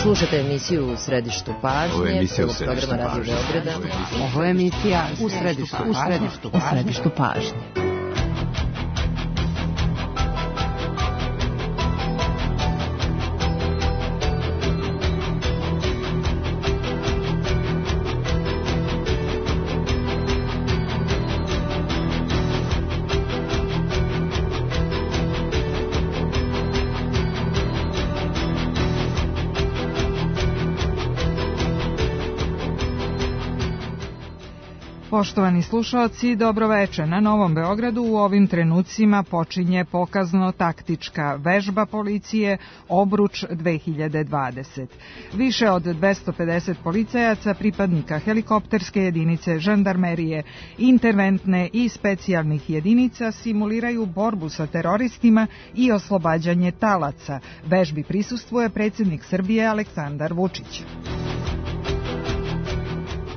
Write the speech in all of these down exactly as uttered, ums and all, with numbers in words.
Slušate emisiju U središtu pažnje, prvog programa Radio Beograda. Ovo je emisija U središtu pažnje. U središtu pažnje. Poštovani slušaoci, dobroveče. Na Novom Beogradu u ovim trenucima počinje pokazno-taktička vežba policije Obruč dve hiljade dvadeset. Više od dvesta pedeset policajaca, pripadnika helikopterske jedinice, žandarmerije, interventne i specijalnih jedinica simuliraju borbu sa teroristima i oslobađanje talaca. Vežbi prisustvuje predsjednik Srbije Aleksandar Vučić.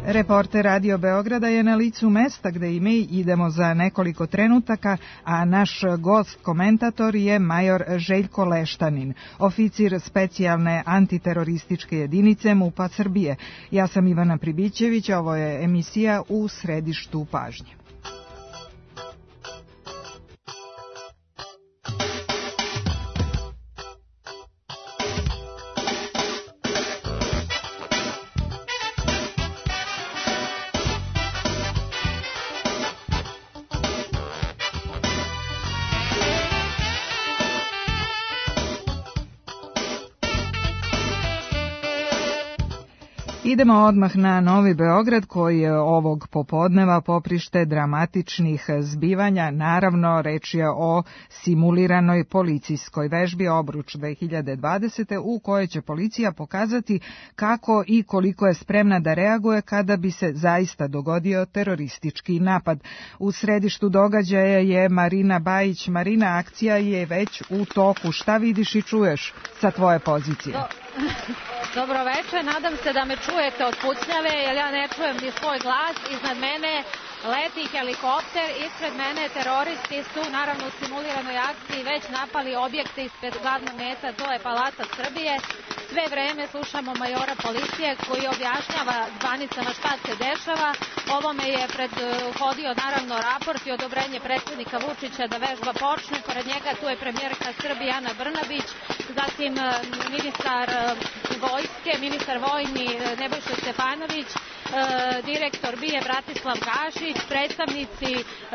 Reporter Radio Beograda je na licu mesta gde i mi idemo za nekoliko trenutaka, a naš gost komentator je major Željko Leštanin, oficir specijalne antiterorističke jedinice MUP-a Srbije. Ja sam Ivana Pribićević, ovo je emisija U središtu pažnje. Idemo odmah na Novi Beograd koji je ovog popodneva poprište dramatičnih zbivanja. Naravno, reč je o simuliranoj policijskoj vežbi Obruč dve hiljade dvadesete u kojoj će policija pokazati kako i koliko je spremna da reaguje kada bi se zaista dogodio teroristički napad. U središtu događaja je Marina Bajić. Marina, akcija je već u toku. Šta vidiš i čuješ sa tvoje pozicije? Do... Dobro večer, nadam se da me čujete od pucnjave, jer ja ne čujem ni svoj glas. Iznad mene leti helikopter, ispred mene teroristi su naravno u simuliranoj akciji već napali objekte ispred glavnog meta, to je Palata Srbije. Sve vreme slušamo majora policije koji objašnjava zvanicama šta se dešava. Ovome je prethodio naravno raport i odobrenje predsjednika Vučića da vežba počne. Pored njega tu je premijerka Srbije Ana Brnabić, zatim ministar vojske, ministar vojni Nebojša Stefanović, direktor B I A Bratislav Gašić, predstavnici,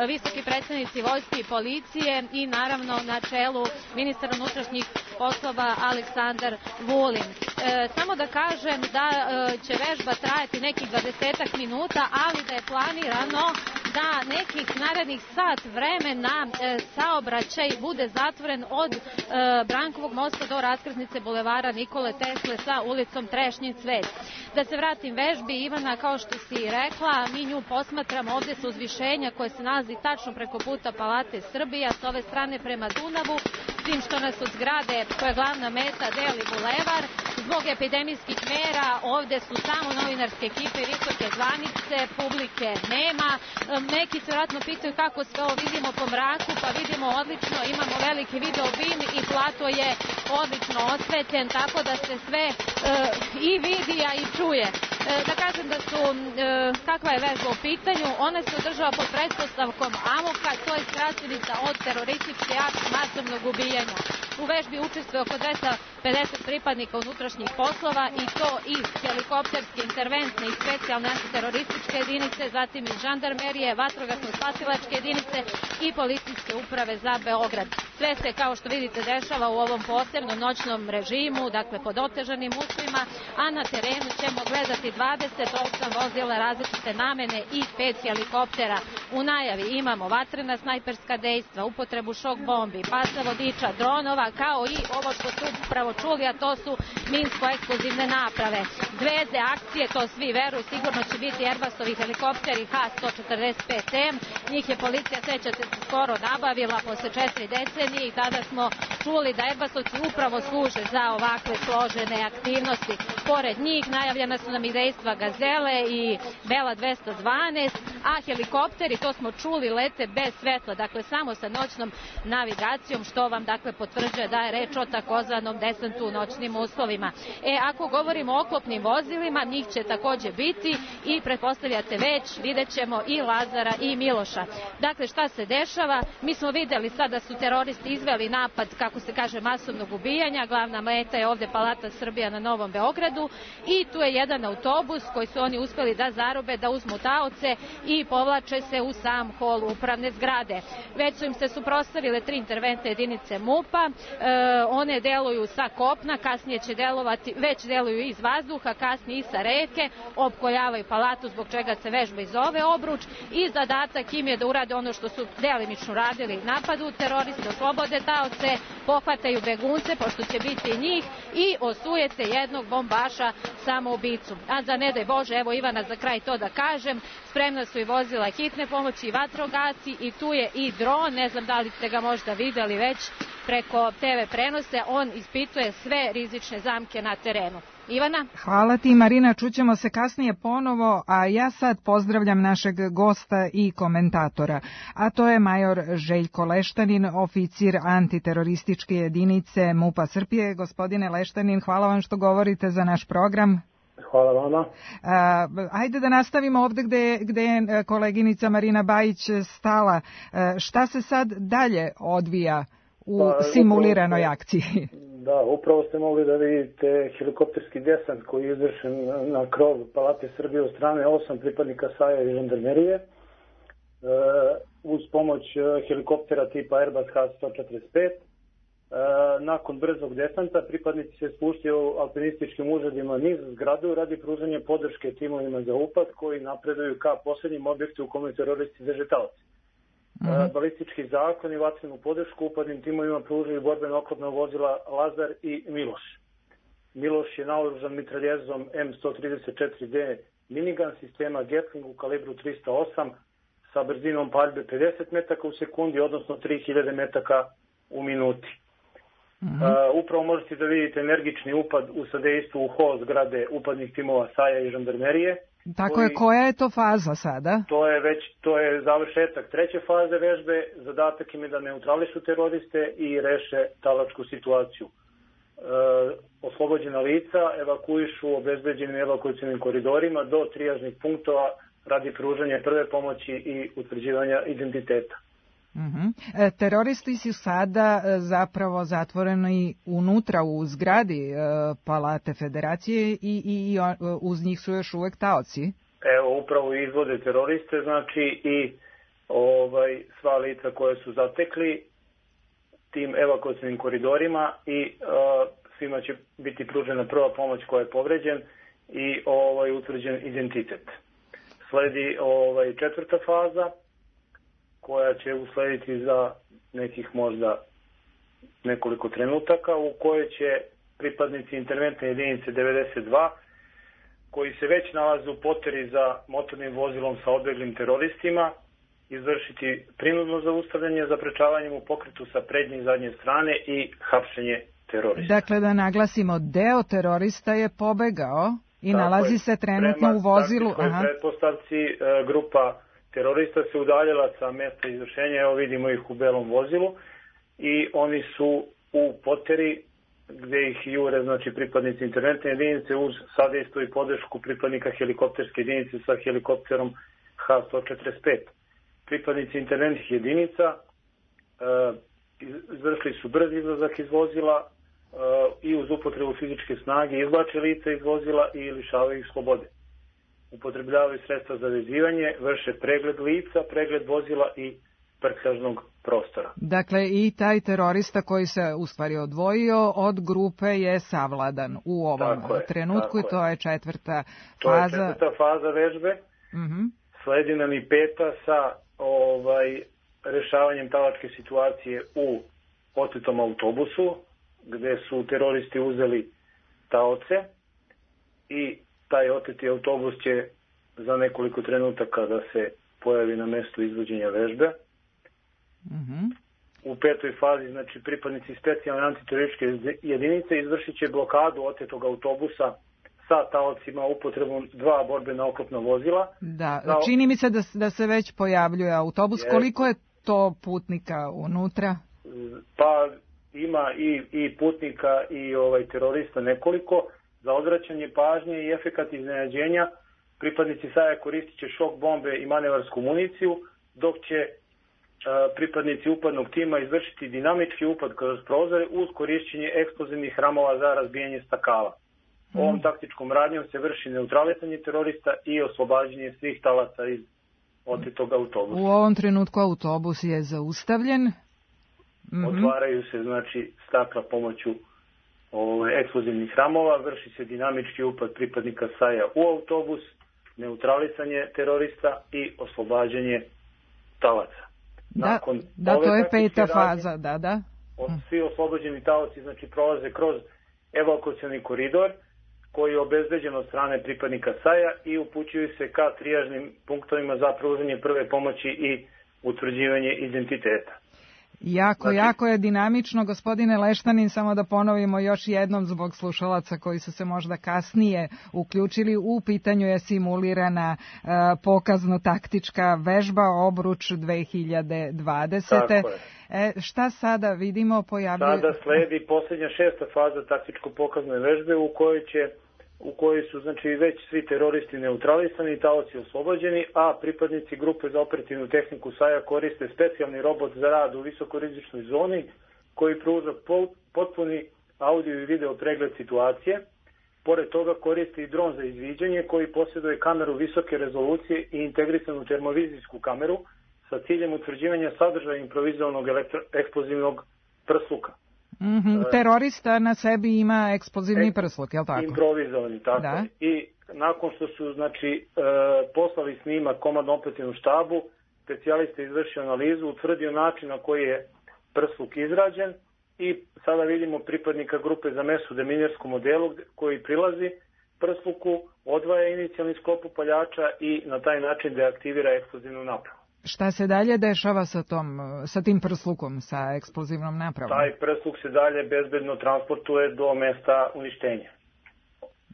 visoki predstavnici vojske i policije i naravno na čelu ministar unutrašnjih poslova Aleksandar Vulin. E, samo da kažem da e, će vežba trajati nekih dvadesetak minuta, ali da je planirano da nekih narednih sat vremena e, saobraćaj bude zatvoren od e, Brankovog mosta do raskrsnice bulevara Nikole Tesle sa ulicom Trešnjin Cvet. Da se vratim vežbi, Ivana, kao što si rekla, mi nju posmatramo ovde sa uzvišenja koje se nalazi tačno preko puta Palate Srbije, s ove strane prema Dunavu, s tim što nas od zgrade koja je glavna meta deli bulevar. Zbog epidemijskih mera ovde su samo novinarske ekipe i visoke zvanice, publike nema. Neki se vjerojatno pitaju kako sve ovo vidimo po mraku, pa vidimo odlično, imamo veliki video bim i plato je odlično osvetljen, tako da se sve e, i vidi, a i čuje. E, da kažem da su, e, kakva je vežba u pitanju, ona se održava pod pretpostavkom Amoka, to je skraćenica od terorističke akcije masovnog ubijanja. U vežbi učestvuje oko dvesta pedeset pripadnika unutrašnjih poslova i to i helikopterske, interventne i specijalne antiterorističke jedinice, zatim i žandarmerije, vatrogasno-spasilačke jedinice i policijske uprave za Beograd. Sve se, kao što vidite, dešava u ovom posebnom noćnom režimu, dakle pod otežanim uslovima, a na terenu ćemo gledati dvadeset osam vozila različite namene i pet helikoptera. U najavi imamo vatrena snajperska dejstva, upotrebu šok bombi, pasa vodiča, dronova, kao i ovo što su upravo čuli, a to su minsko-eksplozivne naprave. Zvezde akcije, to svi veruju, sigurno će biti Airbusovi helikopteri H sto četrdeset pet M. Njih je policija, sećate se, skoro nabavila posle četiri decenije i tada smo čuli da Airbusovci upravo služe za ovakve složene aktivnosti. Pored njih najavljena su nam i dejstva Gazele i Bela dvesta dvanaest, a helikopteri, to smo čuli, lete bez svetla, dakle samo sa noćnom navigacijom, što vam dakle potvrđuje da je reč o takozvanom desantu u noćnim uslovima. E, ako govorimo o oklopnim vozilima, njih će takođe biti i pretpostavljate već, vidjet ćemo i Lazara i Miloša. Dakle, šta se dešava? Mi smo videli sada su teroristi izveli napad, kako se kaže, masovnog ubijanja. Glavna meta je ovde Palata Srbija na Novom Beogradu i tu je jedan autobus koji su oni uspeli da zarobe, da uzmu taoce i povlače se u sam hol upravne zgrade. Već su im se suprotstavile tri interventne jedinice MUP-a, e, one deluju sa kopna, kasnije će delovati, već deluju iz vazduha, kasnije i sa reke, opkoljavaju palatu, zbog čega se vežba i zove Obruč, i zadatak im je da urade ono što su delimično radili, napadu teroristi, oslobode taoce, pohvataju begunce, pošto će biti njih, i osujete jednog bombaša samoubicu. A za ne daj Bože, evo Ivana za kraj to da kažem, spremna su i vozila hitne pomoći i vatrogasci i tu je i dron, ne znam da li ste ga možda videli već preko te ve prenose, on ispituje sve rizične zamke na terenu. Ivana? Hvala ti, Marina, čućemo se kasnije ponovo, a ja sad pozdravljam našeg gosta i komentatora, a to je major Željko Leštanin, oficir antiterorističke jedinice MUP-a Srbije. Gospodine Leštanin, hvala vam što govorite za naš program. Hvala vama. A, ajde da nastavimo ovde gde, gde je koleginica Marina Bajić stala. A, šta se sad dalje odvija u pa, simuliranoj upravo, akciji? Da, upravo ste mogli da vidite helikopterski desant koji je izvršen na krov Palate Srbije od strane osam pripadnika SAJ-a i žandarmerije. E, uz pomoć helikoptera tipa Airbus H sto četrdeset pet. E, nakon brzog desanta pripadnici se spuštaju alpinističkim užadima niz zgradu radi pružanja podrške timovima za upad koji napreduju ka poslednjem objektu u kome teroristi drže taoce. Mm-hmm. Balistički zakon i vatrenu podršku upadnim timovima pružaju borbeno oklopna vozila Lazar i Miloš. Miloš je naoružan mitraljezom M sto trideset četiri D minigun sistema Gatling u kalibru trista osam sa brzinom paljbe pedeset metaka u sekundi, odnosno tri hiljade metaka u minuti. Mm-hmm. Uh, upravo možete da vidite energični upad u sadejstvu u hol zgrade upadnih timova SAJ-a i žandarmerije. Tako koji, je, koja je to faza sada? To je već, to je završetak treće faze vežbe, zadatak im je da neutrališu teroriste i reše talačku situaciju. E, oslobođena lica evakuišu obezbeđenim evakuacionim koridorima do trijažnih punktova radi pružanja prve pomoći i utvrđivanja identiteta. Uh-huh. E, teroristi su sada e, zapravo zatvoreni unutra u zgradi e, Palate Federacije i, i, i uz njih su još uvek taoci. Evo, upravo izvode teroriste, znači i ovaj, sva lica koje su zatekli tim evakuacijnim koridorima i e, svima će biti pružena prva pomoć koja je povređen i ovaj, utvrđen identitet. Sledi ovaj, četvrta faza koja će uslediti za nekih možda nekoliko trenutaka, u kojoj će pripadnici interventne jedinice devedeset dva, koji se već nalaze u poteri za motornim vozilom sa odbeglim teroristima, izvršiti prinudno zaustavljanje zaprečavanjem u pokretu sa prednje i zadnje strane i hapšenje terorista. Dakle, da naglasimo, deo terorista je pobegao i tako nalazi je, se trenutno prema, u vozilu. Prema pretpostavci grupa terorista se udaljila sa mesta izvršenja, evo vidimo ih u belom vozilu i oni su u poteri gde ih jure, znači pripadnici interventne jedinice uz sadejstvo i podršku pripadnika helikopterske jedinice sa helikopterom H sto četrdeset pet. Pripadnici interventnih jedinica e, izvršili su brz izlazak iz vozila e, i uz upotrebu fizičke snage izvlače lica iz vozila i lišavaju ih slobode. Upotrebljavaju sredstva za vezivanje, vrše pregled lica, pregled vozila i prtljažnog prostora. Dakle, i taj terorista koji se u stvari odvojio od grupe je savladan u ovom tako trenutku je, i to je četvrta to faza. To je četvrta faza vežbe. Uh-huh. Sledi nam i peta sa ovaj, rešavanjem talačke situacije u otetom autobusu, gde su teroristi uzeli taoce i taj oteti autobus će za nekoliko trenutaka da se pojavi na mestu izvođenja vežbe. Mm-hmm. U petoj fazi, znači, pripadnici specijalne antiterorističke jedinice izvršit će blokadu otetog autobusa sa taocima upotrebom dva borbena oklopna vozila. Da, da, čini mi se da, da se već pojavljuje autobus. Je, koliko je to putnika unutra? Pa ima i, i putnika i ovaj terorista nekoliko. Za odvraćanje pažnje i efekat iznenađenja pripadnici Saja koristit će šok bombe i manevarsku municiju, dok će a, pripadnici upadnog tima izvršiti dinamički upad kroz prozore uz korišćenje eksplozivnih ramova za razbijanje stakala. Mm. Ovom taktičkom radnjom se vrši neutralisanje terorista i oslobađanje svih talaca iz otetog autobusa. U ovom trenutku autobus je zaustavljen. Mm-hmm. Otvaraju se znači stakla pomoću ove, eksplozivnih ramova, vrši se dinamički upad pripadnika Saja u autobus, neutralisanje terorista i oslobađanje talaca. Da, Nakon da to je peta faza, radnje, da, da. Svi oslobođeni talaci znači prolaze kroz evakuacioni koridor koji je obezbeđen od strane pripadnika Saja i upućuju se ka trijažnim punktovima za pružanje prve pomoći i utvrđivanje identiteta. Jako, znači, jako je dinamično, gospodine Leštanin, samo da ponovimo još jednom zbog slušalaca koji su se možda kasnije uključili. U pitanju je simulirana uh, pokazno-taktička vežba Obruč dve hiljade dvadesete. Tako je. E, šta sada vidimo pojavljuje? Sada sledi posljednja šesta faza taktičko-pokazne vežbe u kojoj će u kojoj su znači već svi teroristi neutralisani, taoci oslobođeni, a pripadnici grupe za operativnu tehniku Saja koriste specijalni robot za rad u visokorizičnoj zoni koji pruža potpuni audio i video pregled situacije. Pored toga koristi i dron za izviđanje koji posjeduje kameru visoke rezolucije i integrisanu termovizijsku kameru sa ciljem utvrđivanja sadržaja improvizovanog eksplozivnog prsluka. Mm-hmm. Terorista na sebi ima eksplozivni e, prsluk, je li tako? Improvizovani, tako. Da. I nakon što su znači, e, poslali snimak komandno operativnom štabu, specijalista izvršio analizu, utvrdio način na koji je prsluk izrađen i sada vidimo pripadnika grupe za mesu deminijerskom modelu koji prilazi prsluku, odvaja inicijalni sklop upaljača i na taj način deaktivira eksplozivnu napravu. Šta se dalje dešava sa, tom, sa tim prslukom, sa eksplozivnom napravom? Taj prsluk se dalje bezbedno transportuje do mesta uništenja.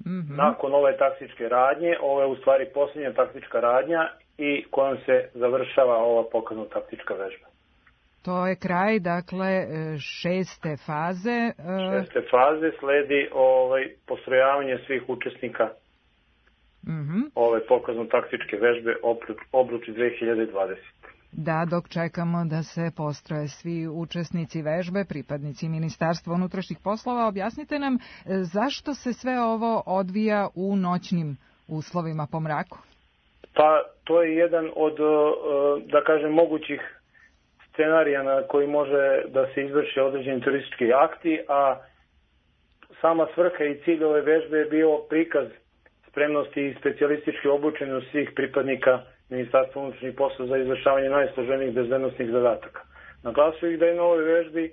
Mm-hmm. Nakon ove taktičke radnje, ovo je u stvari posljednja taktička radnja i kojom se završava ova pokazna taktička vežba. To je kraj, dakle, šeste faze. Šeste faze sledi ovaj, postrojavanje svih učesnika Mm-hmm. ove pokazno-taktičke vežbe Obruč dve hiljade dvadesete. Da, dok čekamo da se postroje svi učesnici vežbe, pripadnici Ministarstva unutrašnjih poslova, objasnite nam zašto se sve ovo odvija u noćnim uslovima po mraku? Pa to je jedan od, da kažem, mogućih scenarija na koji može da se izvrše određeni teroristički akti, a sama svrha i cilj ove vežbe je bio prikaz spremnosti i specijalističke obučenosti svih pripadnika Ministarstva unutrašnjih poslova za izvršavanje najsloženijih bezbednosnih zadataka. Naglasio ih da je na ovoj vežbi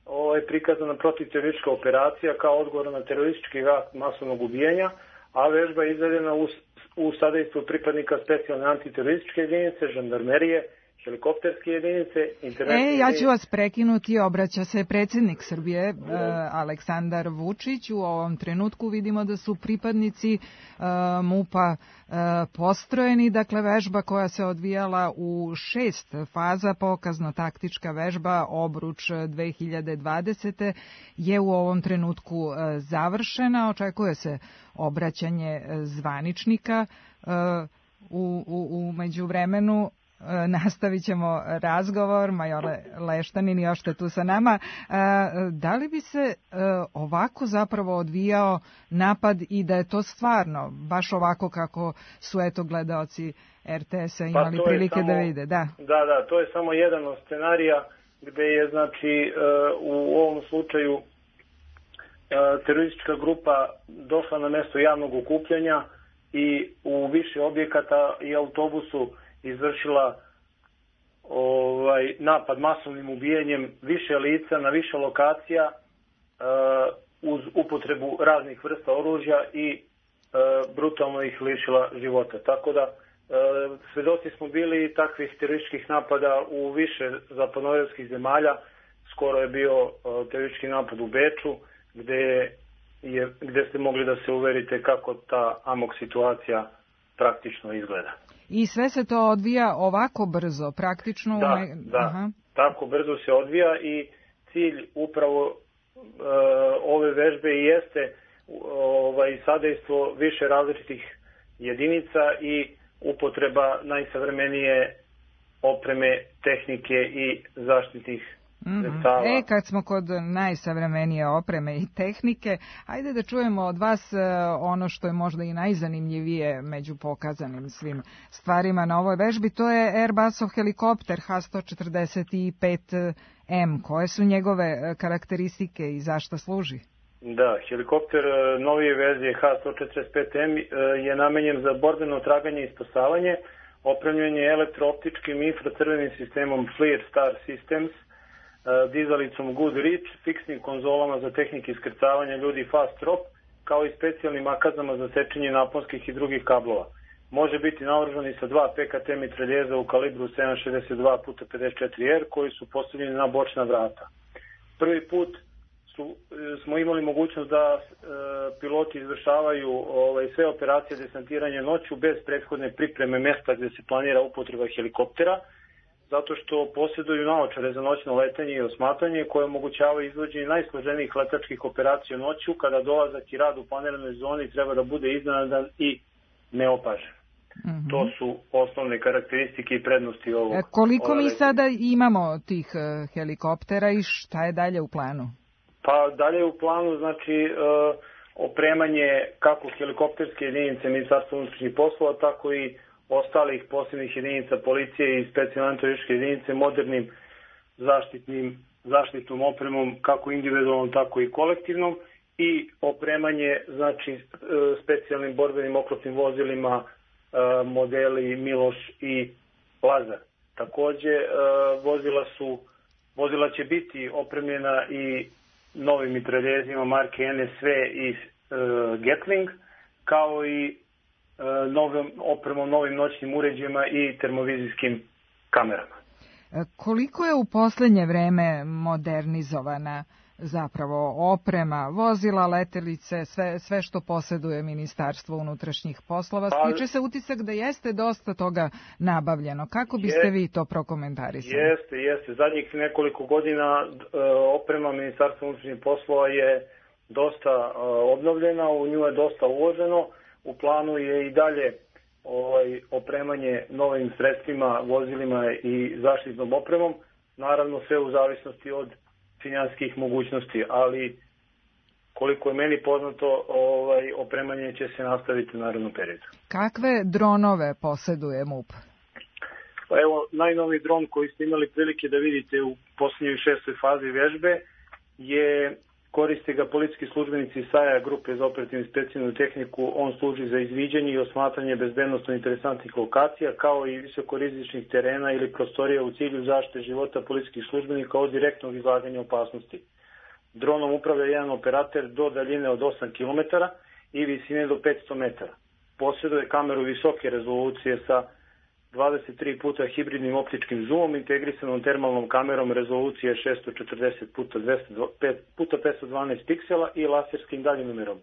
ovo je prikazana protivteroristička operacija kao odgovor na teroristički akt masovnog ubijanja, a vežba je izvedena u, u sadejstvu pripadnika specijalne antiterorističke jedinice, žandarmerije, helikopterske jedinice, internetske E, ja ću vas prekinuti, obraća se predsjednik Srbije, uh, Aleksandar Vučić. U ovom trenutku vidimo da su pripadnici uh, MUP-a uh, postrojeni, dakle vežba koja se odvijala u šest faza, pokazno-taktička vežba Obruč dve hiljade dvadesete je u ovom trenutku uh, završena, očekuje se obraćanje zvaničnika. Uh, u, u, u međuvremenu nastavit ćemo razgovor. Major Leštanin još ste tu sa nama. Da li bi se ovako zapravo odvijao napad i da je to stvarno baš ovako kako su eto gledaoci er te es-a imali pa prilike samo, da vide? Da. da, da, to je samo jedan od scenarija gde je znači u ovom slučaju teroristička grupa došla na mesto javnog okupljanja i u više objekata i autobusu izvršila ovaj, napad masovnim ubijanjem više lica na više lokacija uh, uz upotrebu raznih vrsta oružja i uh, brutalno ih lišila života. Tako da uh, svedoci smo bili takvih terorističkih napada u više zapadnoevropskih zemalja. Skoro je bio uh, teroristički napad u Beču gdje je je, gde ste mogli da se uverite kako ta amok situacija praktično izgleda. I sve se to odvija ovako brzo, praktično? Da, ne... da. Aha. Tako brzo se odvija i cilj upravo uh, ove vežbe i jeste ovaj, sadejstvo više različitih jedinica i upotreba najsavremenije opreme, tehnike i zaštitnih sredstava. Mm-hmm. E, kad smo kod najsavremenije opreme i tehnike, ajde da čujemo od vas ono što je možda i najzanimljivije među pokazanim svim stvarima na ovoj vežbi, to je Airbusov helikopter H sto četrdeset pet M. Koje su njegove karakteristike i zašto služi? Da, helikopter novije verzije H sto četrdeset pet M je namenjen za borbeno traganje i spasavanje, opremljen je elektrooptičkim infracrvenim sistemom FLIR Star Systems, dizalicom Goodrich, fiksnim konzolama za tehnike iskrcavanja ljudi Fast Drop, kao i specijalnim akazama za sečenje naponskih i drugih kablova. Može biti naoružan i sa dva P K T mitraljeza u kalibru sedam šezdeset dva puta pedeset četiri R koji su postavljeni na bočna vrata. Prvi put su, smo imali mogućnost da e, piloti izvršavaju ovaj, sve operacije desantiranja noću bez prethodne pripreme mesta gde se planira upotreba helikoptera, zato što posjeduju naočare za noćno letanje i osmatanje koje omogućavaju izvođenje najsloženijih letačkih operacija noću kada dolazak i rad u planiranoj zoni treba da bude iznenadan i neopažen. Mm-hmm. To su osnovne karakteristike i prednosti ovog. E, koliko mi sada imamo tih uh, helikoptera i šta je dalje u planu? Pa dalje u planu znači uh, opremanje kako helikopterske jedinice Ministarstva unutrašnjih poslova, tako i ostalih posebnih jedinica policije i specijalne antiterorističke jedinice modernim zaštitnim, zaštitnom opremom kako individualnom, tako i kolektivnom i opremanje znači specijalnim borbenim oklopnim vozilima modeli Miloš i Lazar. Takođe vozila su vozila će biti opremljena i novim mitraljezima marke N S V i Gatling, kao i novim opremom, novim noćnim uređajima i termovizijskim kamerama. Koliko je u poslednje vreme modernizovana zapravo oprema, vozila, letelice, sve, sve što posjeduje Ministarstvo unutrašnjih poslova? Pa, stiče se utisak da jeste dosta toga nabavljeno. Kako biste je, vi to prokomentarisali? Jeste, jeste. Zadnjih nekoliko godina oprema Ministarstva unutrašnjih poslova je dosta obnovljena, u nju je dosta uloženo. U planu je i dalje ovaj, opremanje novim sredstvima, vozilima i zaštitnom opremom, naravno sve u zavisnosti od finansijskih mogućnosti, ali koliko je meni poznato, ovaj, opremanje će se nastaviti u narednom periodu. Kakve dronove posjeduje MUP? Pa evo, najnoviji dron koji ste imali prilike da vidite u posljednjoj šestoj fazi vežbe je koriste ga policijski službenici S A J A grupe za operativnu i specijalnu tehniku. On služi za izviđanje i osmatranje bezbednosno interesantnih lokacija, kao i visokorizičnih terena ili prostorija u cilju zaštite života policijskih službenika od direktnog izlaganja opasnosti. Dronom upravlja jedan operater do daljine od osam kilometara i visine do petsto metara. Posjeduje kameru visoke rezolucije sa dvadeset tri puta hibridnim optičkim zoomom, integrisanom termalnom kamerom rezolucije šesto četrdeset puta petsto dvanaest piksela i laserskim daljinomerom.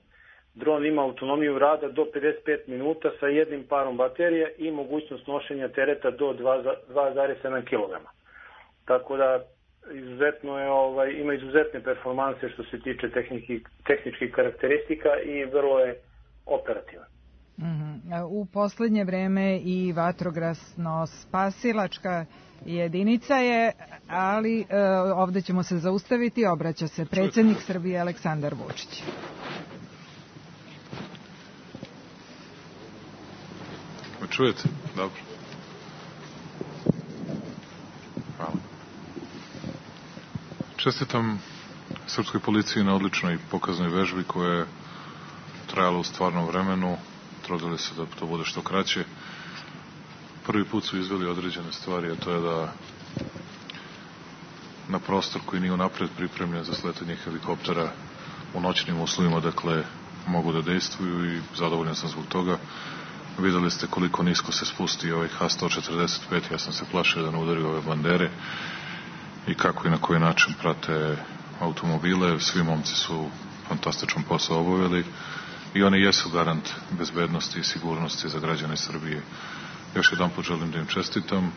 Dron ima autonomiju rada do pedeset pet minuta sa jednim parom baterija i mogućnost nošenja tereta do dva zarez sedam kilograma. Tako da izuzetno je, ovaj, ima izuzetne performanse što se tiče tehniki, tehničkih karakteristika i vrlo je operativan. Mm-hmm. U poslednje vreme i vatrogasno-spasilačka jedinica je, ali e, ovde ćemo se zaustaviti, obraća se predsjednik Srbije Aleksandar Vučić. Me čujete? Dobro. Hvala. Čestitam srpskoj policiji na odličnoj pokaznoj vežbi koja je trajala u stvarnom vremenu. Trudili se da to bude što kraće. Prvi put su izveli određene stvari, a to je da na prostor koji nije unapred pripremljen za sletanje helikoptera u noćnim uslovima, dakle, mogu da dejstvuju i zadovoljan sam zbog toga. Videli ste koliko nisko se spusti ovaj H sto četrdeset pet, ja sam se plašio da ne udari ove bandere i kako i na koji način prate automobile. Svi momci su fantastičan posao obavili i oni jesu garant bezbednosti i sigurnosti za građane Srbije. Još jedan put želim da im čestitam.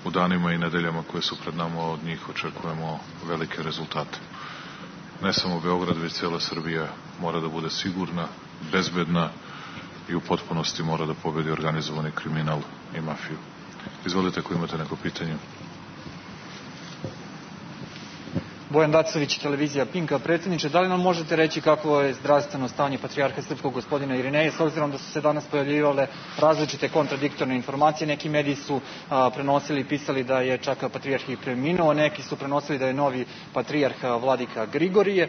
U danima i nedeljama koje su pred nama od njih očekujemo velike rezultate. Ne samo Beograd, već cijela Srbija mora da bude sigurna, bezbedna i u potpunosti mora da pobedi organizovani kriminal i mafiju. Izvolite ako imate neko pitanje. Bojan Dacović, televizija Pinka. Predsjedniče, da li nam možete reći kakvo je zdravstveno stanje patrijarha srpskog gospodina Irineja, s obzirom da su se danas pojavljivale različite kontradiktorne informacije? Neki mediji su a, prenosili i pisali da je čak patrijarh i preminuo, neki su prenosili da je novi patrijarh vladika Grigorije.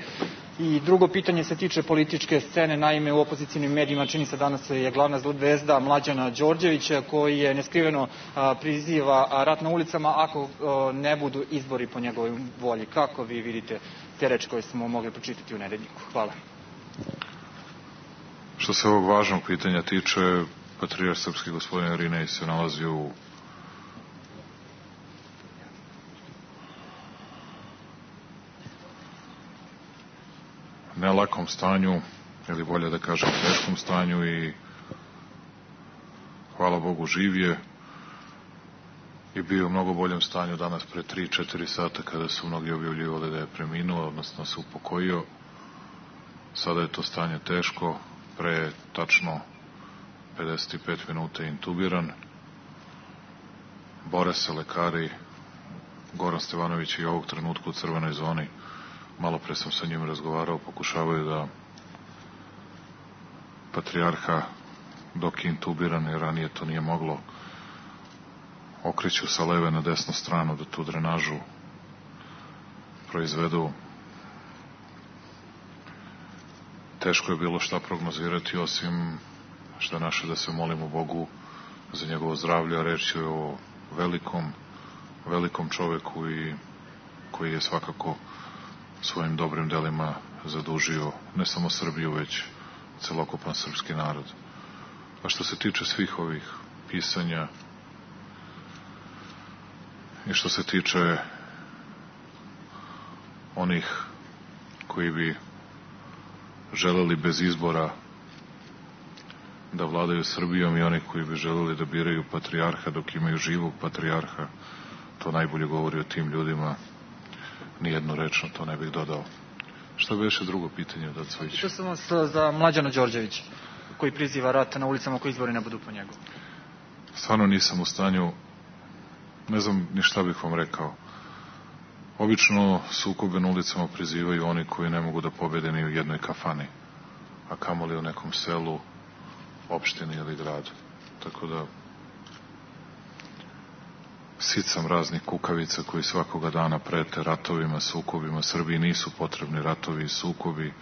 I drugo pitanje se tiče političke scene. Naime, u opozicijnim medijima čini se danas je glavna zvezda Mlađana Đorđević, koji je neskriveno a, priziva rat na ulicama ako a, ne budu izbori po njegovoj volji. Kako vi vidite te reči koje smo mogli pročitati u Nedeljniku? Hvala. Što se ovog važnog pitanja tiče, patrijarh srpski gospodin Irinej se nalazi u nelakom stanju, ili bolje da kažem teškom stanju, i hvala Bogu živ je i bio u mnogo boljem stanju danas pre tri četiri sata kada su mnogi objavljivali da je preminuo, odnosno se upokojio. Sada je to stanje teško, pre tačno pedeset pet minuta je intubiran. Bore se lekari, Goran Stevanović i ovog trenutka u crvenoj zoni. Malo pre sam sa njim razgovarao, pokušavaju da patrijarha, dok je intubiran, jer ranije to nije moglo, okreću sa leve na desnu stranu da tu drenažu proizvedu. Teško je bilo šta prognozirati, osim što naše da se molimo Bogu za njegovo zdravlje, a reč je o velikom, velikom čoveku i koji je svakako svojim dobrim delima zadužio ne samo Srbiju, već celokupan srpski narod. A što se tiče svih ovih pisanja i što se tiče onih koji bi želeli bez izbora da vladaju Srbijom i onih koji bi želeli da biraju patrijarha dok imaju živog patrijarha, to najbolje govori o tim ljudima. Nijednu reč na to ne bih dodao. Šta bi još drugo pitanje, Dacović? To sam vas za Mlađana Đorđević, koji priziva rat na ulicama koji izbori ne budu po njegu. Stvarno nisam u stanju, ne znam ni šta bih vam rekao. Obično sukobe na ulicama prizivaju oni koji ne mogu da pobede ni u jednoj kafani, a kamoli u nekom selu, opštini ili gradu. Tako da sit sam raznih kukavica koji svakoga dana prete ratovima, sukobima. Srbiji nisu potrebni ratovi i sukobi.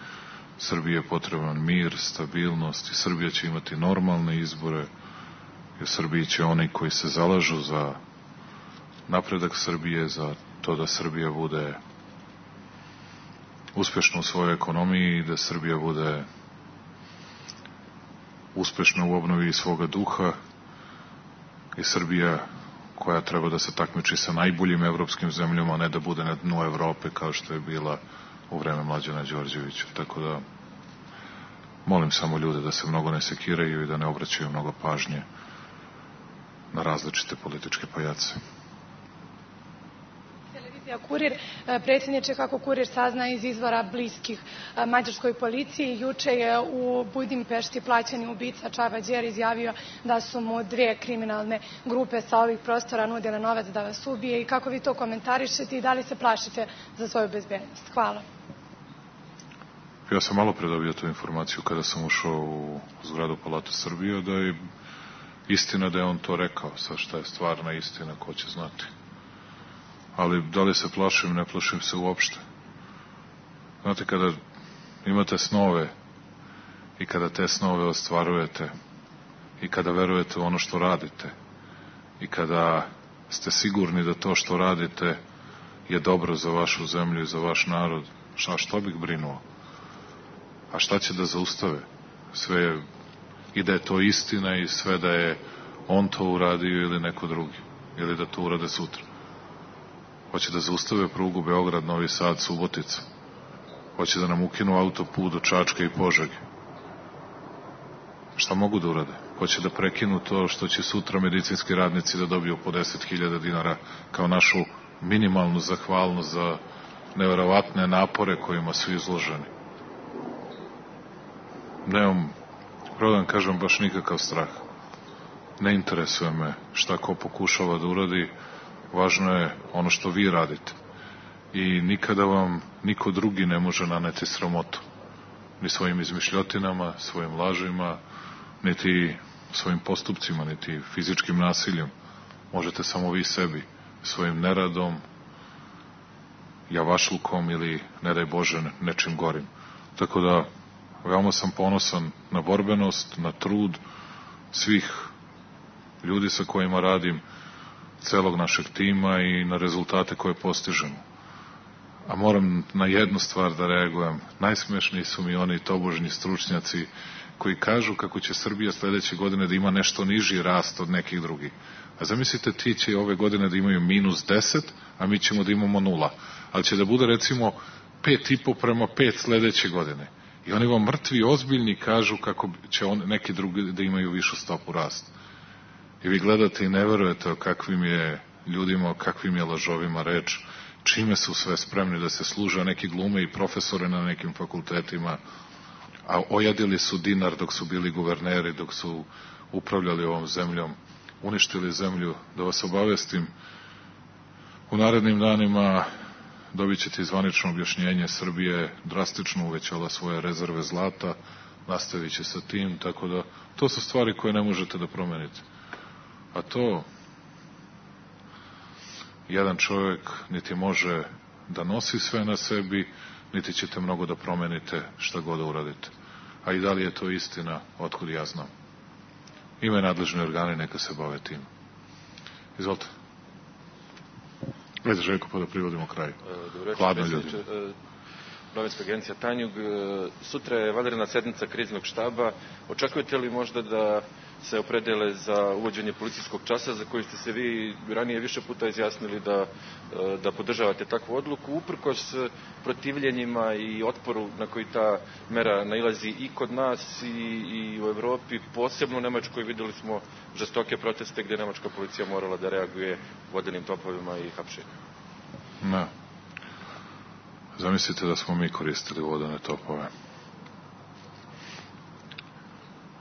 Srbiji je potreban mir, stabilnost i Srbija će imati normalne izbore. I u Srbiji će oni koji se zalažu za napredak Srbije, za to da Srbija bude uspešna u svojoj ekonomiji i da Srbija bude uspešna u obnovi svoga duha i Srbija koja treba da se takmiči sa najboljim evropskim zemljama, a ne da bude na dnu Evrope kao što je bila u vreme Mlađana Đorđevića. Tako da molim samo ljude da se mnogo ne sekiraju i da ne obraćaju mnogo pažnje na različite političke pajace. Kurir, predsjedniče, kako Kurir sazna iz izvora bliskih mađarskoj policiji, juče je u Budimpešti plaćeni ubica Čaba Đer izjavio da su mu dve kriminalne grupe sa ovih prostora nudile novac da vas ubije, i kako vi to komentarišete i da li se plašite za svoju bezbednost? Hvala. Ja sam malo pre dobio tu informaciju kada sam ušao u zgradu Palate Srbije, da je istina da je on to rekao. Sad šta je stvarna istina, ko će znati. Ali da li se plašim, ne plašim se uopšte. Znate, kada imate snove i kada te snove ostvarujete i kada verujete u ono što radite i kada ste sigurni da to što radite je dobro za vašu zemlju i za vaš narod, šta, što bih brinuo? A šta će da zaustave? Sve je, i da je to istina i sve da je on to uradio ili neko drugi, ili da to urade sutra. Hoće da zaustave prugu Beograd, Novi Sad, Subotica. Hoće da nam ukinu autoput do Čačka i Požege. Šta mogu da urade? Hoće da prekinu to što će sutra medicinski radnici da dobiju po deset hiljada dinara kao našu minimalnu zahvalnost za neverovatne napore kojima su izloženi. Nemam, pravo da vam kažem, baš nikakav strah. Ne interesuje me šta ko pokušava da uradi, važno je ono što vi radite. I nikada vam niko drugi ne može naneti sramotu. Ni svojim izmišljotinama, svojim lažima, niti svojim postupcima, niti fizičkim nasiljem. Možete samo vi sebi, svojim neradom, javašlukom ili, ne daj Bože, nečim gorim. Tako da, veoma sam ponosan na borbenost, na trud svih ljudi sa kojima radim, celog našeg tima i na rezultate koje postižemo. A moram na jednu stvar da reagujem. Najsmešniji su mi oni tobožnji stručnjaci koji kažu kako će Srbija sledeće godine da ima nešto niži rast od nekih drugih. A zamislite, ti će ove godine da imaju minus deset, a mi ćemo da imamo nula. Ali će da bude recimo pet i po prema pet sledeće godine. I oni vam mrtvi, ozbiljni kažu kako će on, neki drugi da imaju višu stopu rasta. I vi gledate i ne verujete o kakvim je ljudima, o kakvim je lažovima reč, čime su sve spremni da se služe, neki glume i profesore na nekim fakultetima, a ojadili su dinar dok su bili guverneri, dok su upravljali ovom zemljom, uništili zemlju. Da vas obavestim, u narednim danima dobit ćete zvanično objašnjenje. Srbije drastično uvećala svoje rezerve zlata, nastavit će sa tim, tako da to su stvari koje ne možete da promenite. A to jedan čovjek niti može da nosi sve na sebi, niti ćete mnogo da promenite šta god da uradite. A i da li je to istina, otkud ja znam. Ima i nadležni organi, neka se bave tim. Izvolite. Ajde, Željko, pa da privodimo kraju. Hladno ljudi. Novinska agencija Tanjug. Sutra je vanredna sednica kriznog štaba. Očekujete li možda da se opredele za uvođenje policijskog časa, za koji ste se vi ranije više puta izjasnili da, da podržavate takvu odluku, uprkos protivljenjima i otporu na koji ta mera nailazi i kod nas i, i u Evropi, posebno u Nemačkoj videli smo žestoke proteste gde nemačka policija morala da reaguje vodenim topovima i hapšenjem. Ne. Zamislite da smo mi koristili vodene topove.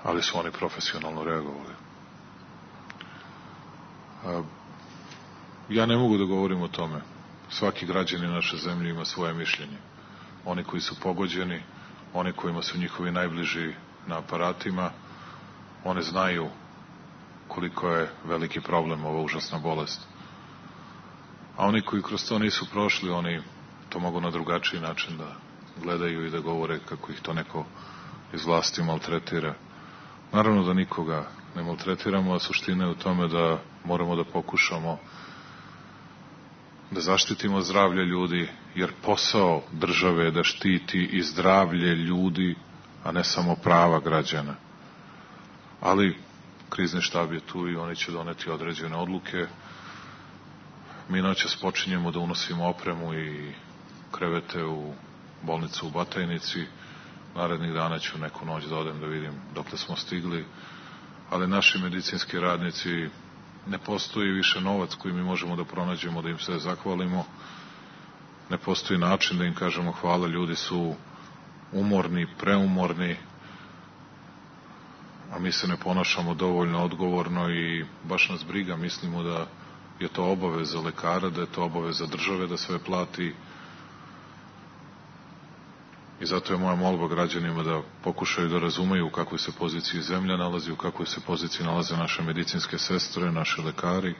Ali su oni profesionalno reagovali. Ja ne mogu da govorim o tome. Svaki građanin naše zemlje ima svoje mišljenje. Oni koji su pogođeni, oni kojima su njihovi najbliži na aparatima, oni znaju koliko je veliki problem ova užasna bolest. A oni koji kroz to nisu prošli, oni to mogu na drugačiji način da gledaju i da govore kako ih to neko iz vlasti maltretira. Naravno da nikoga ne maltretiramo, a suština je u tome da moramo da pokušamo da zaštitimo zdravlje ljudi, jer posao države je da štiti i zdravlje ljudi, a ne samo prava građana. Ali krizni štab je tu i oni će doneti određene odluke. Mi noćas počinjemo da unosimo opremu i krevete u bolnicu u Batajnici. Narednih dana ću neku noć da odem da vidim dokle smo stigli, ali naši medicinski radnici, ne postoji više novac koji mi možemo da pronađemo, da im se zahvalimo, ne postoji način da im kažemo hvala, ljudi su umorni, preumorni, a mi se ne ponašamo dovoljno odgovorno i baš nas briga, mislimo da je to obaveza lekara, da je to obaveza države da sve plati. I zato je moja molba građanima da pokušaju da razumeju u kakvoj se poziciji zemlja nalazi, u kakvoj se poziciji nalaze naše medicinske sestre, naši lekari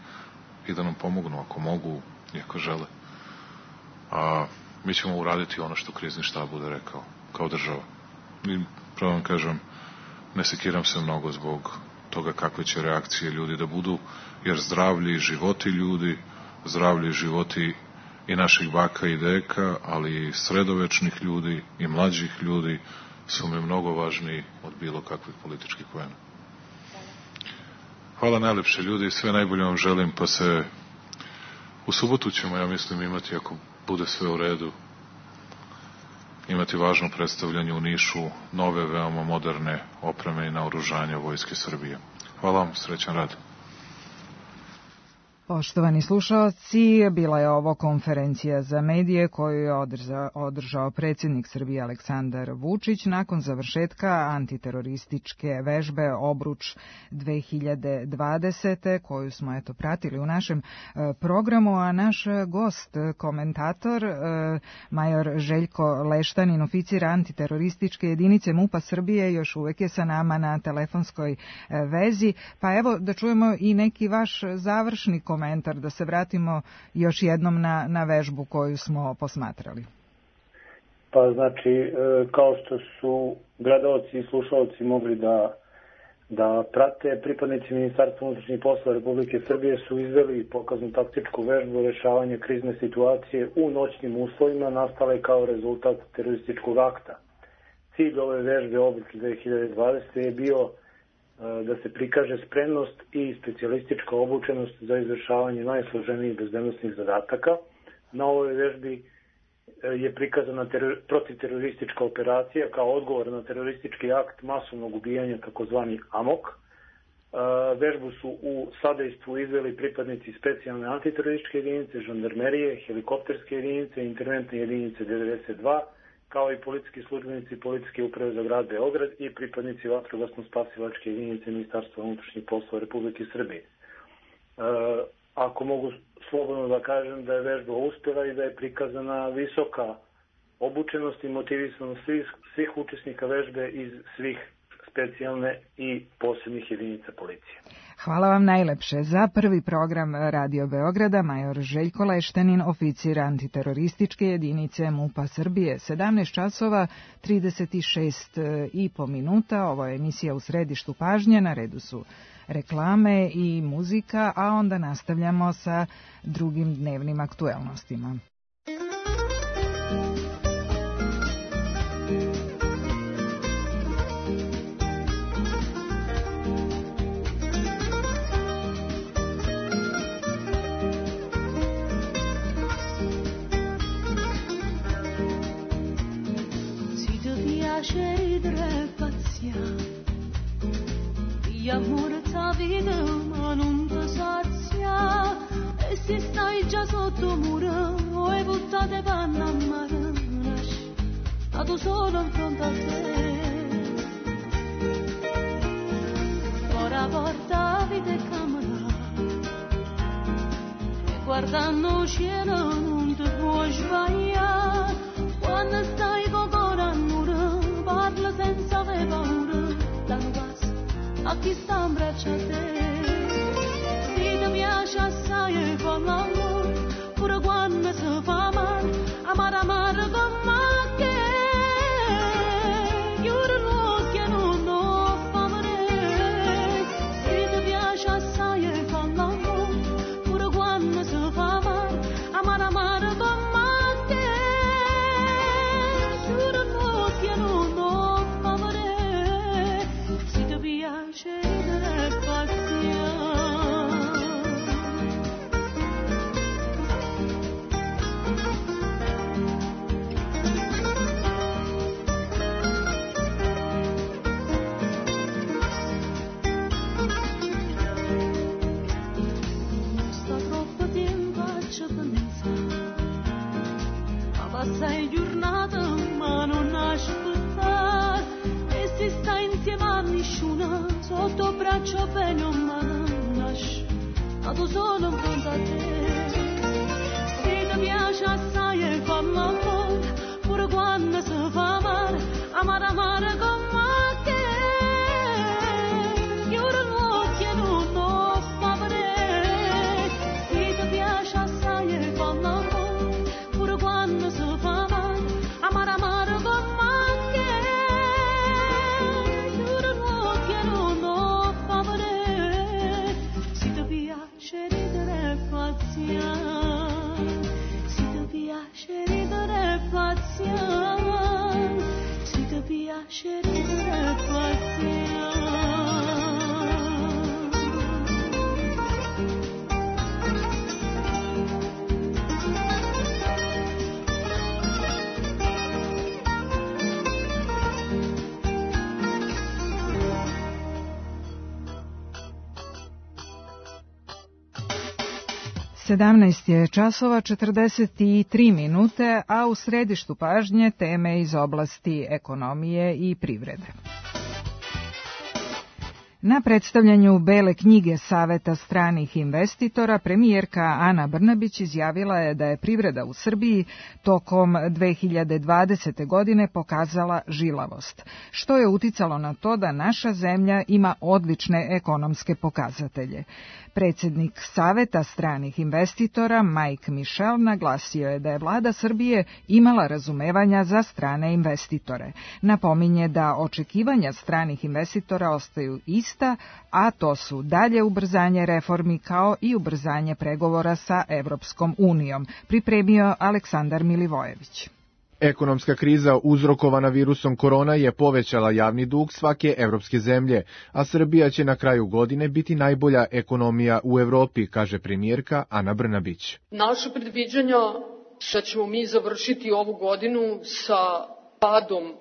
i da nam pomognu ako mogu i ako žele. A mi ćemo uraditi ono što krizni štab bude rekao, kao država. I pravo vam kažem, ne sekiram se mnogo zbog toga kakve će reakcije ljudi da budu, jer zdravlje i životi ljudi, zdravlje i životi i naših baka i deka, ali i sredovečnih ljudi i mlađih ljudi su mi mnogo važniji od bilo kakvih političkih poena. Hvala najlepše ljudi, sve najbolje vam želim, pa se u subotu ćemo, ja mislim, imati, ako bude sve u redu, imati važno predstavljanje u Nišu nove, veoma moderne opreme i naoružanja Vojske Srbije. Hvala vam, srećan rad. Poštovani slušaoci, bila je ovo konferencija za medije koju je održao predsjednik Srbije Aleksandar Vučić nakon završetka antiterorističke vežbe Obruč dve hiljade dvadesete koju smo eto pratili u našem programu, a naš gost, komentator, major Željko Leštanin, oficir antiterorističke jedinice MUP-a Srbije, još uvek je sa nama na telefonskoj vezi. Pa evo da čujemo i neki vaš završni komentar. komentar, da se vratimo još jednom na, na vežbu koju smo posmatrali. Pa znači, kao što su gledalci i slušalci mogli da, da prate, pripadnici Ministarstva unutrašnjih poslova Republike Srbije su izveli pokaznu taktičku vežbu rešavanja krizne situacije u noćnim uslovima nastale kao rezultat terorističkog akta. Cilj ove vežbe Obruč dve hiljade dvadesete je bio da se prikaže spremnost i specijalistička obučenost za izvršavanje najsloženijih bezbednosnih zadataka. Na ovoj vežbi je prikazana teror, protiteroristička operacija kao odgovor na teroristički akt masovnog ubijanja, takozvani AMOK. Vežbu su u sadejstvu izveli pripadnici specijalne antiterorističke jedinice, žandarmerije, helikopterske jedinice, interventne jedinice devedeset dva, kao i policijski službenici Policijske uprave za grad Beograd i pripadnici vatrogasno-spasilačke jedinice Ministarstva unutrašnjih poslova Republike Srbije. E, ako mogu slobodno da kažem da je vežba uspela i da je prikazana visoka obučenost i motivisanost svih, svih učesnika vežbe iz svih specijalne i posebnih jedinica policije. Hvala vam najlepše. Za prvi program Radio Beograda major Željko Leštanin, oficir antiterorističke jedinice MUP-a Srbije. sedamnaest časova trideset šest i po minuta. Ovo je emisija U središtu pažnje. Na redu su reklame i muzika, a onda nastavljamo sa drugim dnevnim aktuelnostima. Amore ta vita ma non ti sazia e se stai già sotto muro e buttate panna a mare a tu solo in fronte a te ora porta vita e camera e guardando il cielo non ti puoi sbagliare quando stai con cuore a muro parla senza avere paura danno passo a chi sta in braccio a te se ti piace assai e fa l'amore pure quando si fa male amare amare con me che chiude l'occhio e non lo fa male se ti piace assai e fa l'amore pure quando si fa male amare amare con me che chiude l'occhio e non lo fa male se ti piace But sedamnaest je časova četrdeset tri minute, a u središtu pažnje teme iz oblasti ekonomije i privrede. Na predstavljanju Bele knjige Saveta stranih investitora, premijerka Ana Brnabić izjavila je da je privreda u Srbiji tokom dve hiljade dvadesete. godine pokazala žilavost, što je uticalo na to da naša zemlja ima odlične ekonomske pokazatelje. Predsjednik Saveta stranih investitora Mike Michel naglasio je da je vlada Srbije imala razumevanja za strane investitore. Napominje da očekivanja stranih investitora ostaju ista, a to su dalje ubrzanje reformi kao i ubrzanje pregovora sa Evropskom unijom, pripremio Aleksandar Milivojević. Ekonomska kriza uzrokovana virusom korona je povećala javni dug svake evropske zemlje, a Srbija će na kraju godine biti najbolja ekonomija u Evropi, kaže premijerka Ana Brnabić. Naše predviđanja da ćemo mi završiti ovu godinu sa padom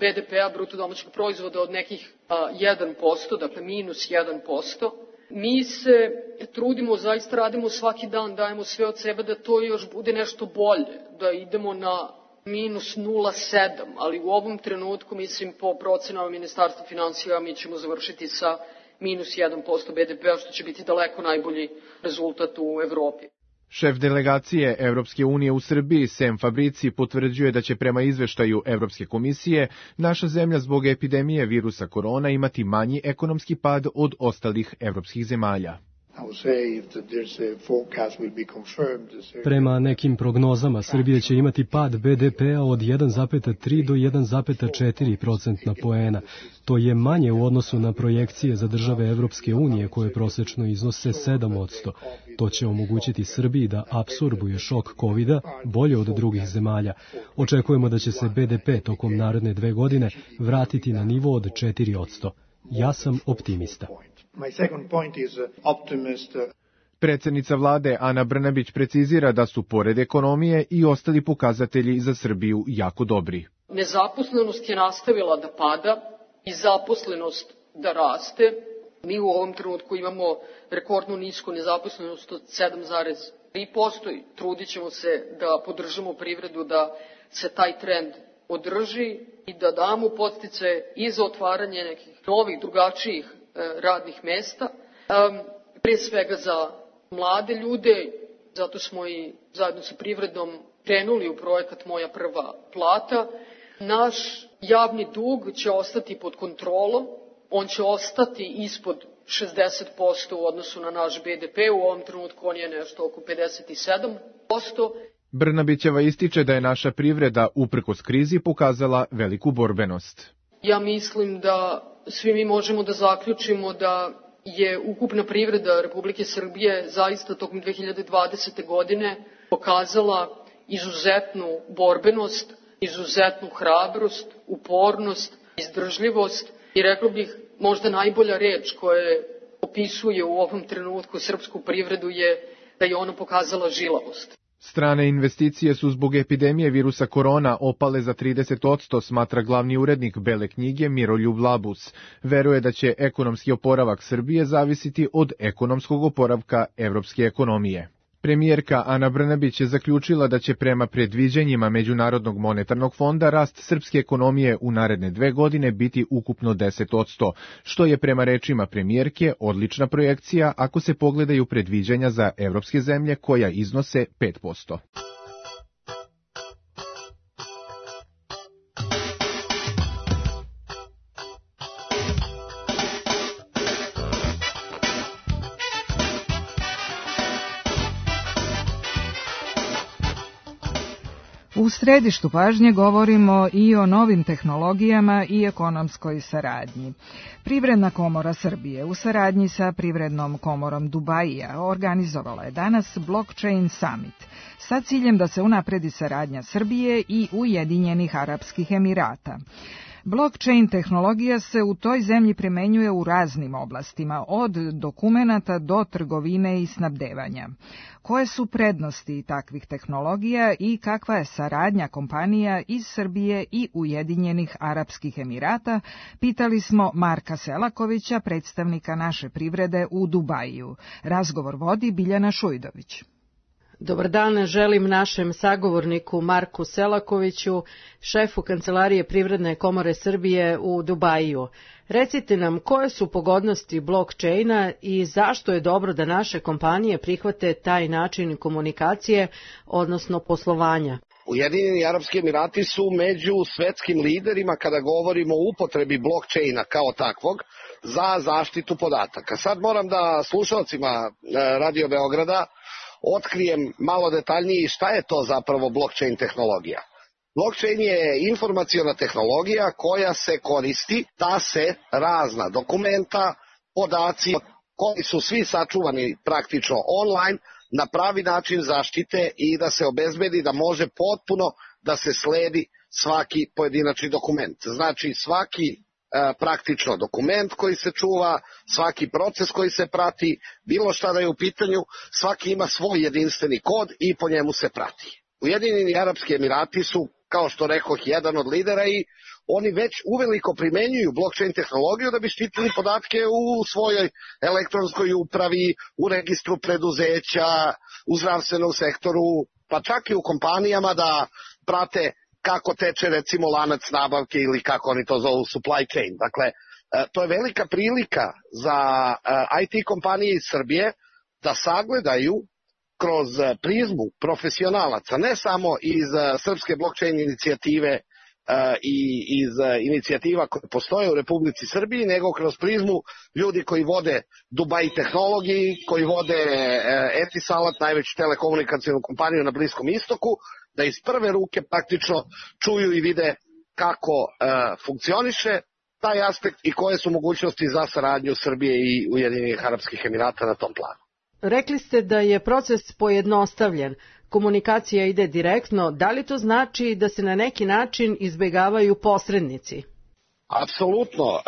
be de pea, bruto domaćeg proizvoda, od nekih jedan posto, dakle minus jedan posto. Mi se trudimo, zaista radimo svaki dan, dajemo sve od sebe da to još bude nešto bolje, da idemo na minus nula zarez sedam, ali u ovom trenutku, mislim, po procenama Ministarstva finansija, mi ćemo završiti sa minus jedan posto be de pea, što će biti daleko najbolji rezultat u Evropi. Šef delegacije Evropske unije u Srbiji, Sem Fabrici, potvrđuje da će prema izveštaju Evropske komisije naša zemlja zbog epidemije virusa korona imati manji ekonomski pad od ostalih evropskih zemalja. Prema nekim prognozama, Srbija će imati pad be de pea od jedan zarez tri do jedan zarez četiri procentna poena. To je manje u odnosu na projekcije za države Evropske unije koje prosečno iznose sedam posto. To će omogućiti Srbiji da apsorbuje šok kovida bolje od drugih zemalja. Očekujemo da će se be de pe tokom naredne dve godine vratiti na nivo od četiri posto. Ja sam optimista. Predsjednica vlade Ana Brnabić precizira da su pored ekonomije i ostali pokazatelji za Srbiju jako dobri. Nezaposlenost je nastavila da pada i zaposlenost da raste. Mi u ovom trenutku imamo rekordnu nisku nezaposlenost od sedam zarez tri posto i trudit ćemo se da podržimo privredu da se taj trend održi i da damo podsticaje i za otvaranje nekih novih, drugačijih radnih mesta, pre svega za mlade ljude, zato smo i zajedno sa privredom krenuli u projekat Moja prva plata. Naš javni dug će ostati pod kontrolom, on će ostati ispod šezdeset posto u odnosu na naš be de pe, u ovom trenutku on je nešto oko pedeset sedam posto. Brnabićeva ističe da je naša privreda uprkos krizi pokazala veliku borbenost. Ja mislim da svi mi možemo da zaključimo da je ukupna privreda Republike Srbije zaista tokom dve hiljade dvadesete. godine pokazala izuzetnu borbenost, izuzetnu hrabrost, upornost, izdržljivost i rekao bih možda najbolja reč koja opisuje u ovom trenutku srpsku privredu je da je ona pokazala žilavost. Strane investicije su zbog epidemije virusa korona opale za trideset posto, smatra glavni urednik Bele knjige Miroljub Labus. Veruje da će ekonomski oporavak Srbije zavisiti od ekonomskog oporavka evropske ekonomije. Premijerka Ana Brnabić je zaključila da će prema predviđanjima Međunarodnog monetarnog fonda rast srpske ekonomije u naredne dve godine biti ukupno deset posto, što je prema rečima premijerke odlična projekcija ako se pogledaju predviđanja za evropske zemlje koja iznose pet posto. U središtu pažnje govorimo i o novim tehnologijama i ekonomskoj saradnji. Privredna komora Srbije u saradnji sa Privrednom komorom Dubaija organizovala je danas Blockchain Summit sa ciljem da se unapredi saradnja Srbije i Ujedinjenih Arapskih Emirata. Blockchain tehnologija se u toj zemlji primenjuje u raznim oblastima, od dokumenata do trgovine i snabdevanja. Koje su prednosti takvih tehnologija i kakva je saradnja kompanija iz Srbije i Ujedinjenih Arapskih Emirata, pitali smo Marka Selakovića, predstavnika naše privrede u Dubaju. Razgovor vodi Biljana Šujdović. Dobar dan, želim našem sagovorniku Marku Selakoviću, šefu Kancelarije Privredne komore Srbije u Dubaju. Recite nam koje su pogodnosti blockchaina i zašto je dobro da naše kompanije prihvate taj način komunikacije, odnosno poslovanja. Ujedinjeni Arapski Emirati su među svetskim liderima kada govorimo o upotrebi blockchaina kao takvog za zaštitu podataka. Sad moram da slušalcima Radio Beograda otkrijem malo detaljnije šta je to zapravo blockchain tehnologija. Blockchain je informaciona tehnologija koja se koristi da se razna dokumenta, podaci koji su svi sačuvani praktično online na pravi način zaštite i da se obezbedi da može potpuno da se sledi svaki pojedinačni dokument. Znači svaki praktično dokument koji se čuva, svaki proces koji se prati, bilo šta da je u pitanju, svaki ima svoj jedinstveni kod i po njemu se prati. Ujedinjeni Arapski Emirati su, kao što rekoh, jedan od lidera i oni već uveliko primenjuju blockchain tehnologiju da bi štitili podatke u svojoj elektronskoj upravi, u registru preduzeća, u zdravstvenom sektoru, pa čak i u kompanijama da prate kako teče recimo lanac nabavke ili kako oni to zovu supply chain. Dakle, to je velika prilika za I T kompanije iz Srbije da sagledaju kroz prizmu profesionalaca, ne samo iz srpske blockchain inicijative i iz inicijativa koje postoje u Republici Srbiji, nego kroz prizmu ljudi koji vode Dubai Tehnologiji, koji vode Etisalat, najveću telekomunikacijnu kompaniju na Bliskom istoku, da iz prve ruke praktično čuju i vide kako funkcioniše taj aspekt i koje su mogućnosti za saradnju Srbije i Ujedinjenih Arapskih Emirata na tom planu. Rekli ste da je proces pojednostavljen, komunikacija ide direktno, da li to znači da se na neki način izbegavaju posrednici? Apsolutno.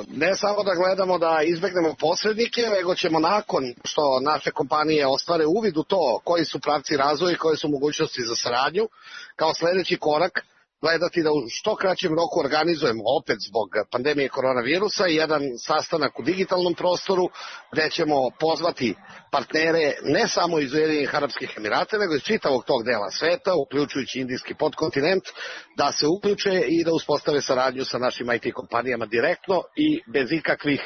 Ne samo da gledamo da izbegnemo posrednike, nego ćemo nakon što naše kompanije ostvare uvid u to koji su pravci razvoja i koje su mogućnosti za saradnju, kao sledeći korak gledati da u što kraćem roku organizujemo opet zbog pandemije koronavirusa jedan sastanak u digitalnom prostoru gde ćemo pozvati partnere ne samo iz Ujedinjenih Arapskih Emirata, nego iz čitavog tog dela sveta, uključujući indijski podkontinent, da se uključe i da uspostave saradnju sa našim I T kompanijama direktno i bez ikakvih,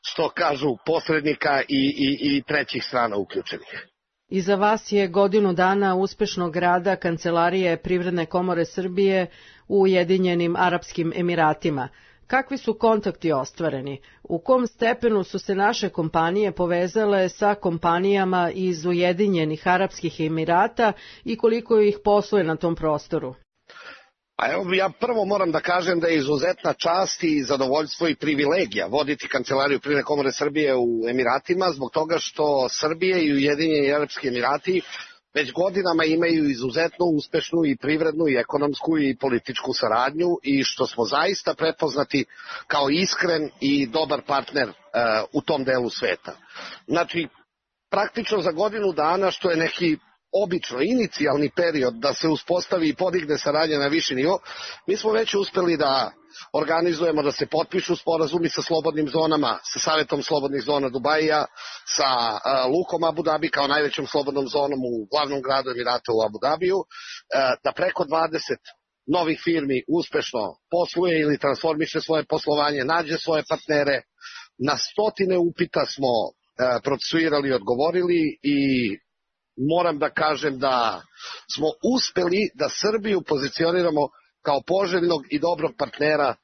što kažu, posrednika i, i, i trećih strana uključenih. Iza vas je godinu dana uspešnog rada Kancelarije Privredne komore Srbije u Ujedinjenim Arapskim Emiratima. Kakvi su kontakti ostvareni? U kom stepenu su se naše kompanije povezale sa kompanijama iz Ujedinjenih Arapskih Emirata i koliko ih posluje na tom prostoru? A evo, ja prvo moram da kažem da je izuzetna čast i zadovoljstvo i privilegija voditi Kancelariju Privredne komore Srbije u Emiratima, zbog toga što Srbije i Ujedinjeni Arapski Emirati već godinama imaju izuzetno uspešnu i privrednu i ekonomsku i političku saradnju i što smo zaista prepoznati kao iskren i dobar partner uh, u tom delu sveta. Znači, praktično za godinu dana, što je neki obično inicijalni period da se uspostavi i podigne saradnja na viši nivo, mi smo već uspeli da organizujemo da se potpišu sporazumi sa slobodnim zonama, sa Savetom slobodnih zona Dubaija, sa uh, Lukom Abu Dhabi kao najvećom slobodnom zonom u glavnom gradu Emirata u Abu Dhabiju, uh, da preko dvadeset novih firmi uspešno posluje ili transformiše svoje poslovanje, nađe svoje partnere. Na stotine upita smo uh, procesuirali i odgovorili i moram da kažem da smo uspeli da Srbiju pozicioniramo kao poželjnog i dobrog partnera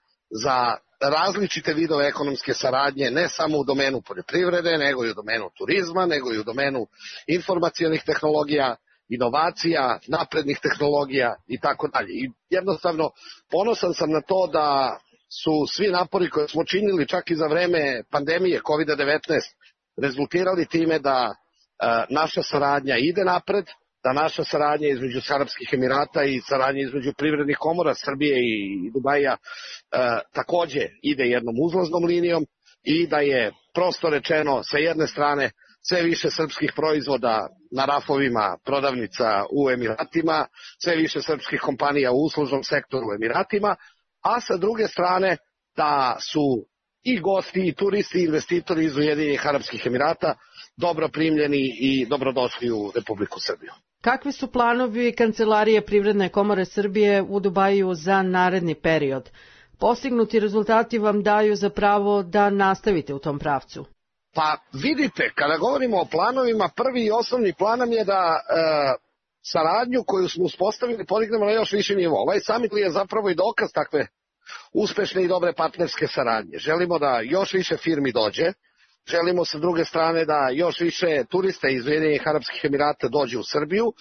za različite vidove ekonomske saradnje, ne samo u domenu poljoprivrede, nego i u domenu turizma, nego i u domenu informacionih tehnologija, inovacija, naprednih tehnologija i tako dalje. I jednostavno ponosan sam na to da su svi napori koje smo činili čak i za vreme pandemije kovid devetnaest rezultirali time da naša saradnja ide napred, da naša saradnja između Arapskih Emirata i saradnja između privrednih komora Srbije i Dubaija takođe ide jednom uzlaznom linijom i da je prosto rečeno sa jedne strane sve više srpskih proizvoda na rafovima prodavnica u Emiratima, sve više srpskih kompanija u uslužnom sektoru u Emiratima, a sa druge strane da su i gosti, i turisti, i investitori iz Ujedinjenih Arapskih Emirata dobro primljeni i dobrodošli u Republiku Srbiju. Kakvi su planovi Kancelarije Privredne komore Srbije u Dubaju za naredni period? Postignuti rezultati vam daju za pravo da nastavite u tom pravcu. Pa vidite, kada govorimo o planovima, prvi i osnovni plan je da e, saradnju koju smo uspostavili podignemo na još više nivo. Ovaj summit je zapravo i dokaz takve uspešne i dobre partnerske saradnje. Želimo da još više firmi dođe, želimo sa druge strane da još više turista iz Ujedinjenih Arapskih Emirata dođe u Srbiju.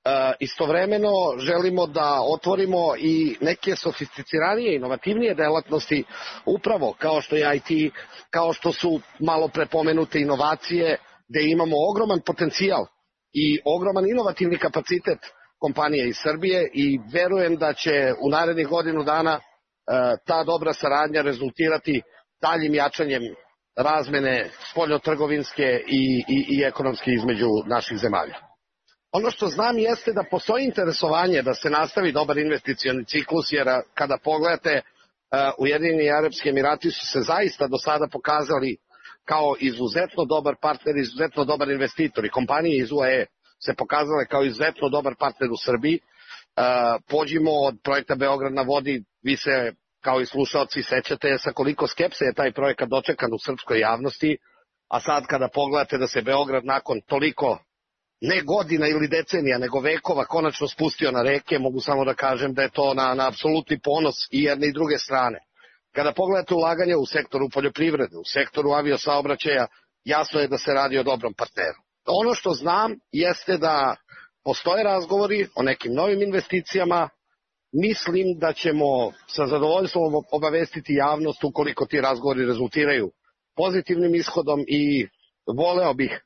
E, istovremeno želimo da otvorimo i neke sofisticiranije, inovativnije delatnosti, upravo kao što je I T, kao što su malo prepomenute inovacije, gde imamo ogroman potencijal i ogroman inovativni kapacitet kompanije iz Srbije i verujem da će u narednih godinu dana e, ta dobra saradnja rezultirati daljim jačanjem razmene spoljnotrgovinske i, i, i ekonomske između naših zemalja. Ono što znam jeste da postoji interesovanje da se nastavi dobar investicioni ciklus, jer kada pogledate, Ujedinjeni Arapski Emirati su se zaista do sada pokazali kao izuzetno dobar partner, izuzetno dobar investitor i kompanije iz U A E se pokazale kao izuzetno dobar partner u Srbiji. Pođimo od projekta Beograd na vodi, vi se kao i slušalci sećate sa koliko skepse je taj projekat dočekan u srpskoj javnosti, a sad kada pogledate da se Beograd nakon toliko ne godina ili decenija, nego vekova konačno spustio na reke, mogu samo da kažem da je to na, na apsolutni ponos i jedne i druge strane. Kada pogledate ulaganje u sektoru poljoprivrede, u sektoru aviosaobraćaja, jasno je da se radi o dobrom partneru. Ono što znam jeste da postoje razgovori o nekim novim investicijama. Mislim da ćemo sa zadovoljstvom obavestiti javnost ukoliko ti razgovori rezultiraju pozitivnim ishodom i voleo bih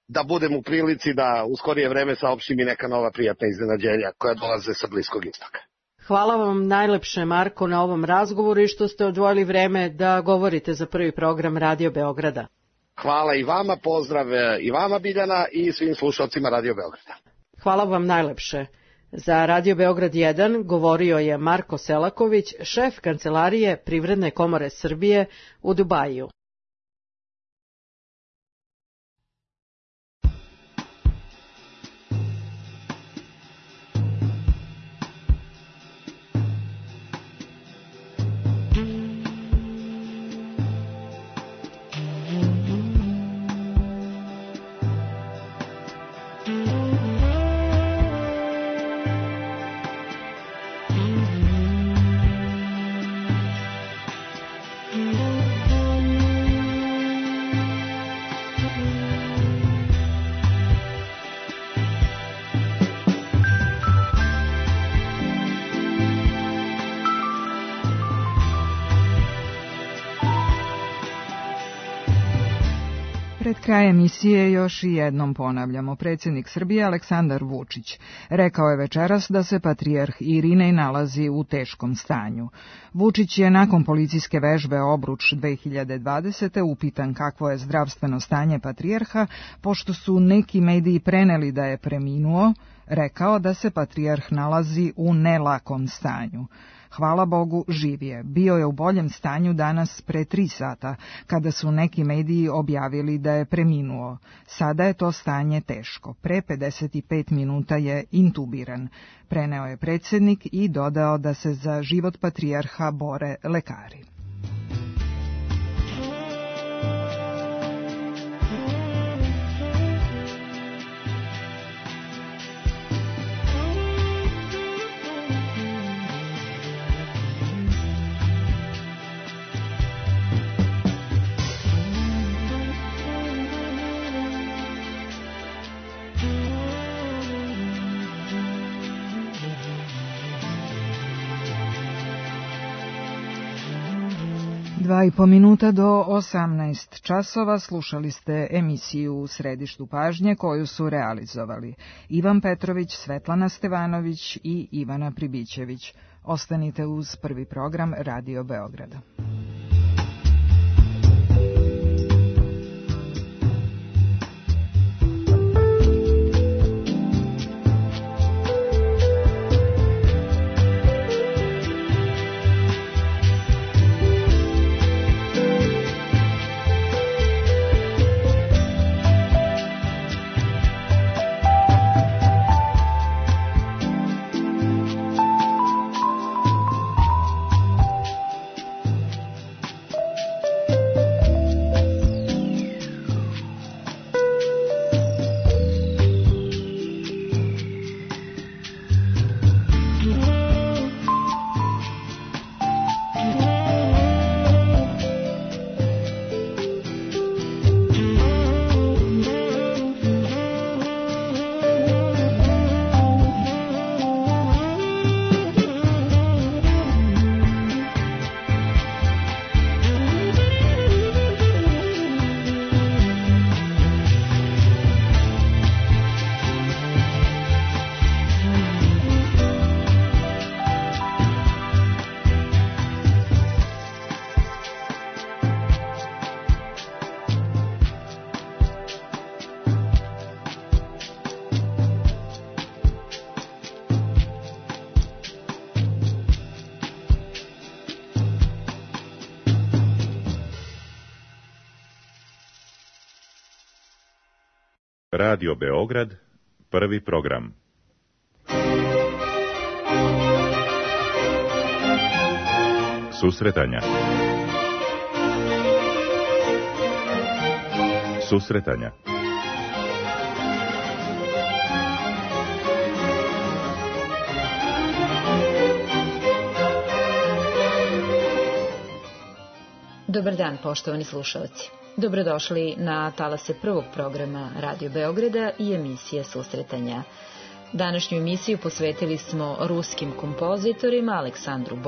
da budem u prilici da u skorije vreme saopštim i neka nova prijatna iznenađenja koja dolaze sa Bliskog istoka. Hvala vam najlepše, Marko, na ovom razgovoru i što ste odvojili vreme da govorite za prvi program Radio Beograda. Hvala i vama, pozdrav i vama, Biljana, i svim slušalcima Radio Beograda. Hvala vam najlepše. Za Radio Beograd jedan govorio je Marko Selaković, šef Kancelarije Privredne komore Srbije u Dubaju. Pred kraj emisije još i jednom ponavljamo. Predsjednik Srbije Aleksandar Vučić rekao je večeras da se patrijarh Irinej nalazi u teškom stanju. Vučić je nakon policijske vežbe Obruč dve hiljade dvadesete upitan kakvo je zdravstveno stanje patrijarha, pošto su neki mediji preneli da je preminuo, rekao da se patrijarh nalazi u nelakom stanju. Hvala Bogu, živ je. Bio je u boljem stanju danas pre tri sata, kada su neki mediji objavili da je preminuo. Sada je to stanje teško. Pre pedeset pet minuta je intubiran. Preneo je predsjednik i dodao da se za život patrijarha bore lekari. Dva i po minuta do osamnaest časova slušali ste emisiju U središtu pažnje koju su realizovali Ivan Petrović, Svetlana Stevanović i Ivana Pribićević. Ostanite uz prvi program Radio Beograda. Radio Beograd, prvi program. Susretanja. Susretanja. Dobar dan, poštovani slušalci. Dobrodošli na talase prvog programa Radio Beograda i emisije Susretanja. Današnju emisiju posvetili smo ruskim kompozitorima Aleksandru Bo